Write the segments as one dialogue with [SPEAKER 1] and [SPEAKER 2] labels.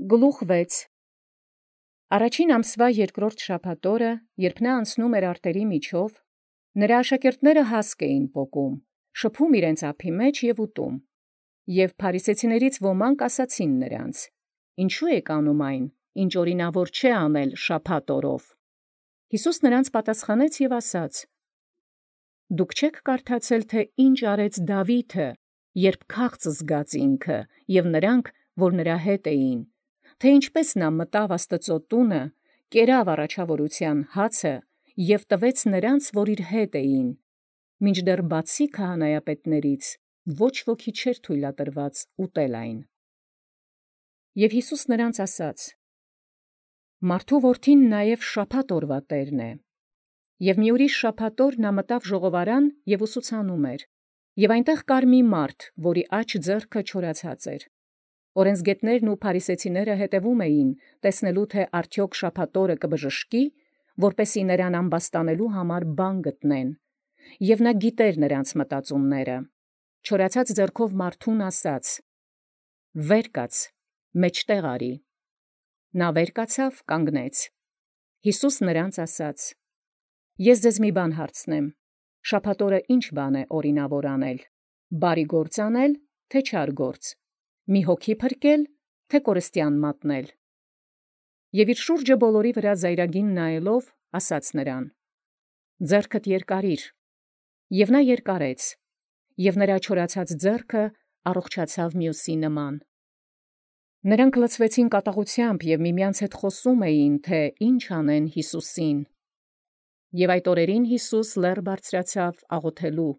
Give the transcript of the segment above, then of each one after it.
[SPEAKER 1] Գլուխ 6 Առաջին ամսվա երկրորդ շաբաթօրը, երբ նա անցնում էր արտերի միջով, նրա աշակերտները հասկ էին պոկում, շփում իրենց ափի մեջ և ուտում. և փարիսեցիներից ոմանք ասացին նրանց. «Ինչու եք անում այն, ինչ օրինավոր չէ անել շաբաթ օրով»։ Յիսուս նրանց պատասխանեց և ասաց. «Դուք չեք կարդացել, թե ինչ արեց Դավիթը, երբ քաղց զգաց ինքը, և նրանք, որ նրա հետ էին, թե ինչպես նա մտավ Աստծու տունը, կերավ առաջավորության հացը և տվեց նրանց, որ իր հետ էին, մինչդեռ բացի քահանայապետներից ոչ ոքի չէր թույլատրված ուտել այն։ Եւ Յիսուս նրանց ասաց. «Մարդու որդին նաև շաբաթ օրվա տերն է»։ Եւ մի ուրիշ շաբաթ օր նա մտավ ժողովարան և ուսուցանում էր, և այնտեղ կար մի մարդ, որի աջ ձեռքը չորացած էր։ Օրենսգետներն ու փարիսեցիները հետևում էին, տեսնելու թե արդյոք շաբաթ օրը կբժշկի, որպեսզի նրան ամբաստանելու համար բան գտնեն, և նա գիտեր նրանց մտածումները։ Չորացած ձեռքով մարդուն ասաց. «Վեր կաց, մեջտեղ արի»։ Նա վեր կացավ, կանգնեց։ Յիսուս նրանց ասաց. «Ես ձեզ մի բան հարցնեմ. շաբաթ օրը ի՞նչ բան է օրինավոր անել. բարի գործ անել, թե չար գործ, մի հոգի փրկել, թե կորստյան մատնել»։ Եվ իր շուրջը բոլորի վրա զայրագին նայելով, ասաց նրան. «Ձեռքդ երկարիր»։ Եվ նա երկարեց, և նրա չորացած ձեռքը առողջացավ մյուսի նման։ Նրանք լցվեցին կատաղությամբ և միմյանց հետ խոսում էին, թե ինչ անեն Յիսուսին։ Եվ այդ օրերին Յիսուս լեռ բարձրացավ աղոթելու,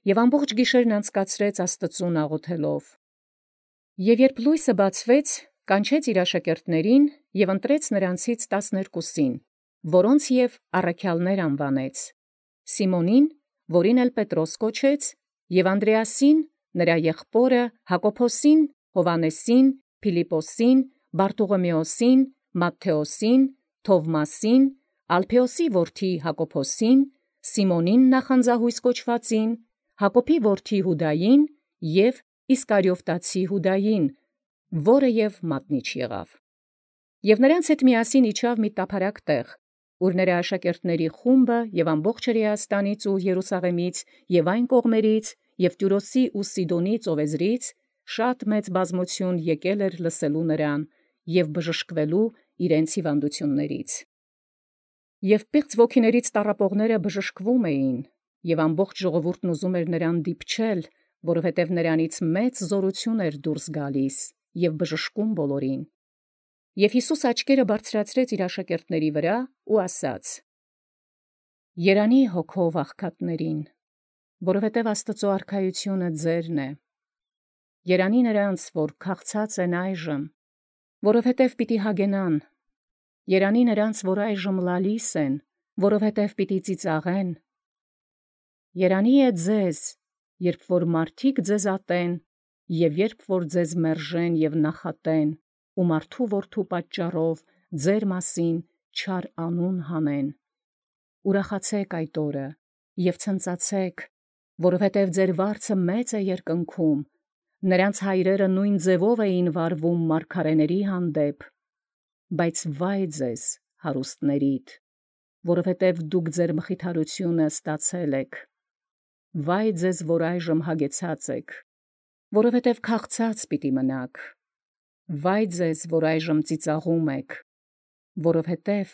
[SPEAKER 1] և ամբողջ գիշերն անցկացրեց Աստծուն աղոթելով։ Եվ երբ լույսը բացվեց, կանչեց իր աշակերտներին և ընտրեց նրանցից 12, որոնց և առաքյալներ անվանեց. Սիմոնին, որին էլ Պետրոս կոչեց, և Անդրեասին, նրա եղբորը, Հակոբոսին, Հովհաննեսին, Փիլիպպոսին, Բարտողոմեոսին, Մատթեոսին, Թովմասին, Ալփեոսի որդի Հակոբոսին, Սիմոնին նախանձահույս կոչվածին, Հակոբի որդի Յուդային և Իսկարիովտացի Յուդային, որը և մատնիչ եղավ։ Եւ նրանց հետ միասին իջավ մի տափարակ տեղ, ուր նրա աշակերտների խումբը և ամբողջ Հրեաստանից ու Երուսաղեմից և այն կողմերից և Տյուրոսի ու Սիդոնի ծովեզրից շատ մեծ բազմություն եկել էր լսելու նրան և բժշկվելու իրենց հիվանդություններից։ Եւ պիղծ ոգիներից տառապողները բժշկվում էին, և ամբողջ ժողովուրդն ուզում էր նրան դիպչել, որովհետև նրանից մեծ զորություն էր դուրս գալիս և բժշկում բոլորին։ Եվ Յիսուս աչքերը բարձրացրեց իր աշակերտների վրա ու ասաց. «Երանի հոգով աղքատներին, որովհետև Աստծու արքայությունը ձերն է։ Երանի նրանց, որ քաղցած են այժմ, որովհետև պիտի հագենան։ Երանի նրանց, որ այժմ լալիս են, որովհետև պիտի ծիծաղեն։ Երանի է ձեզ, երբ որ մարդիկ ձեզ ատեն, և երբ որ ձեզ մերժեն և նախատեն, ու մարդու որդու պատճառով ձեր մասին չար անուն հանեն։ Ուրախացե՛ք այդ օրը և ցնծացե՛ք, որովհետև ձեր վարձը մեծ է երկնքում. նրանց հայրերը նույն ձևով էին վարվում մարգարեների հանդեպ։ Բայց վայ ձեզ, հարուստներիդ, որովհետև դուք ձեր մխիթարությունը ստացել եք։ Վայ ձեզ, որ այժմ հագեցած եք, որովհետև քաղցած պիտի մնաք։ Վայ ձեզ, որ այժմ ծիծաղում եք, որովհետև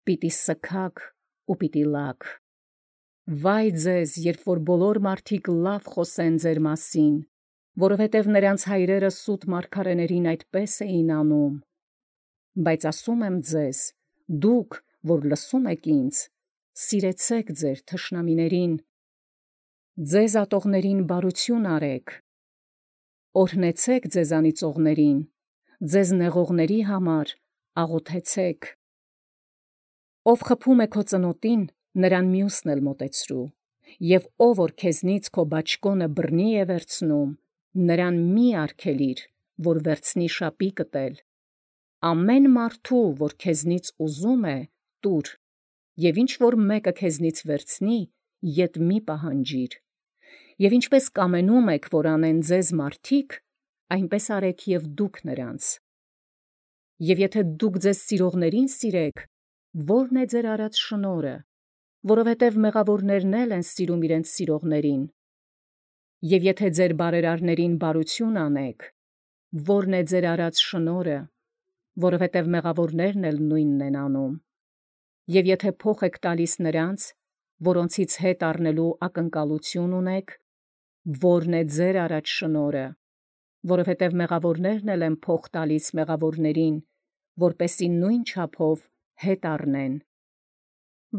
[SPEAKER 1] պիտի սգաք ու պիտի լաք։ Վայ ձեզ, երբ որ բոլոր մարդիկ լավ խոսեն ձեր մասին, որովհետև նրանց հայրերը սուտ մարգարեներին այդպես էին անում։ Բայց ասում եմ ձեզ, դուք, որ լսում եք ինձ, սիրեցեք ձեր թշնամիներին, ձեզ ատողներին բարություն արեք, օրհնեցեք ձեզանից ողներին, ձեզ նեղողների համար աղոթեցեք։ Ով խփում է քո ծնոտին, նրան մյուսն էլ մոտեցրու, և ով որ քեզնից քո բաճկոնը բռնի է վերցնում, նրան մի արգելիր, որ վերցնի շապիկդ էլ։ Ամեն մարդու, որ քեզնից ուզում է, տուր, և ինչ որ մեկը քեզնից վերցնի, ետ մի պահանջիր։ Եվ ինչպես կամենում եք, որ անեն ձեզ մարդիկ, այնպես արեք և դուք նրանց։ Եվ եթե դուք ձեզ սիրողներին սիրեք, ո՞րն է ձեր արած շնորհը, որովհետև մեղավորներն էլ են սիրում իրենց սիրողներին։ Եվ եթե ձեր բարերարներին բարություն անեք, ո՞րն է ձեր արած շնորհը, որովհետև մեղավորներն էլ նույնն են անում։ Եվ եթե փոխ եք տալիս նրանց, որոնցից հետ առնելու ակնկալություն ունեք, ո՞րն է ձեր արած շնորհը, որովհետև մեղավորներն էլ են փոխ տալիս մեղավորներին, որպեսզի նույն չափով հետ առնեն։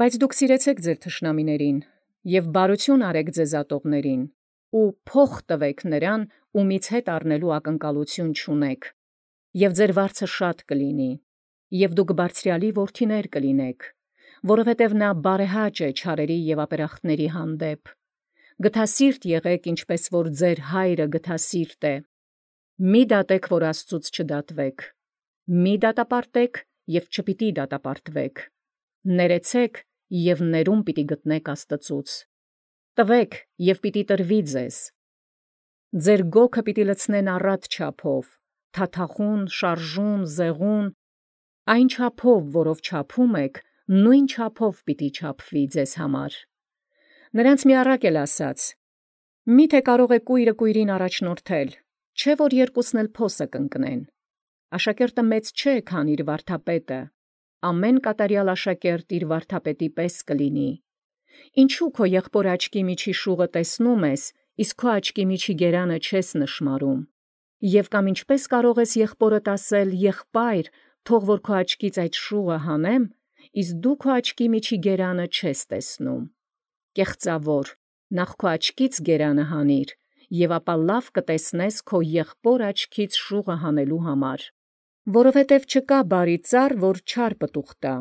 [SPEAKER 1] Բայց դուք սիրեցեք ձեր թշնամիներին և բարություն արեք ձեզ ատողներին, ու փոխ տվեք նրան, ումից հետ առնելու ակնկալություն չունեք, և ձեր վարձը շատ կլինի, և դուք բարձրյալի որդիներ կլինեք, որովհետև նա բարեհաճ է չարերի և ապերախտների հանդեպ։ Գթասիրտ եղեք, ինչպես որ ձեր հայրը գթասիրտ է։ Մի դատեք, որ Աստծուց չդատվեք, մի դատապարտեք, և չպիտի դատապարտվեք, ներեցեք, և ներում պիտի գտնեք Աստծուց, տվեք, և պիտի տրվի ձեզ։ Ձեր գոգը պիտի լցնեն առատ չափով, թաթախուն, շարժուն, զեղուն, այն չափով, որով չափում եք, նույն չափով պիտի չափվի ձեզ համար։ Նրանց մի առակ էլ ասաց. «Միթե կարող է կույրը կույրին առաջնորդել, չէ՞ որ երկուսն էլ փոսը կընկնեն։ Աշակերտը մեծ չէ, քան իր վարդապետը, ամեն կատարյալ աշակերտ իր վարդապետի պես կլինի։ Ինչու քո եղբոր աչքի միջի շուղը տեսնում ես, իսկ քո աչքի միջի գերանը չես նշմարում։ Եվ կամ ինչպես կարող ես եղբորդ ասել. եղբայր, թող որ քո աչքից այդ շուղը հանեմ, իսկ դու քո աչքի միջի գերանը չես տեսնում։ Կեղծավոր, նախ քո աչքից գերանը հանիր, և ապա լավ կտեսնես քո եղբոր աչքից շուղը հանելու համար։ Որովհետև չկա բարի ծառ, որ չար պտուղ տա,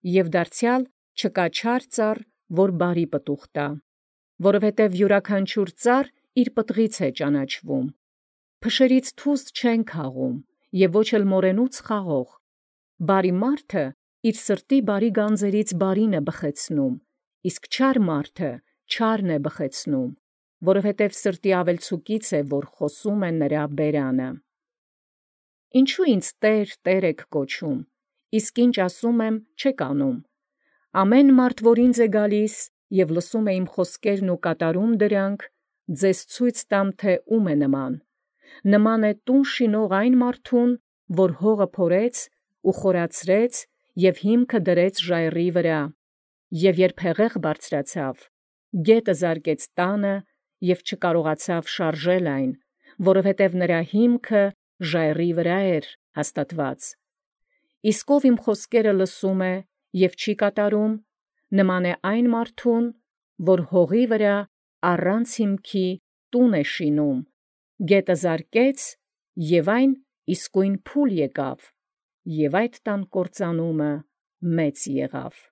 [SPEAKER 1] և դարձյալ չկա չար ծառ, որ բարի պտուղ տա, որովհետև յուրաքանչյուր ծառ իր պտղից է ճանաչվում։ Փշերից թուզ չեն քաղում, և ոչ էլ մորենուց խաղող։ Բարի մարդը իր սրտի բարի գանձերից բարին է բխեցնում, իսկ չար մարդը չարն է բխեցնում, որովհետև սրտի ավելցուկից է, որ խոսում է նրա բերանը։ Ինչու ինձ Տեր, Տեր եք կոչում, իսկ ինչ ասում եմ, չեք անում։ Ամեն մարդ, որ ինձ է գալիս և լսում է իմ խոսքերն ու կատարում դրանք, ձեզ ցույց տամ, թե ում է նման։ Նման է տուն շինող այն մարդուն, որ հողը փորեց ու խորացրեց և հիմքը դրեց ժայռի վրա, և երբ հեղեղ բարձրացավ, գետը զարկեց տանը և չկարողացավ շարժել այն, որովհետև նրա հիմքը ժայռի վրա էր հաստատված։ Իսկ ով իմ խոսքերը լսում է և չի կատարում, նման է այն մարդուն, որ հողի վրա առանց հիմքի տուն է շինում, գետը զարկեց, և այն իսկույն փուլ եկավ, և այդ տան կործանումը մեծ եղավ։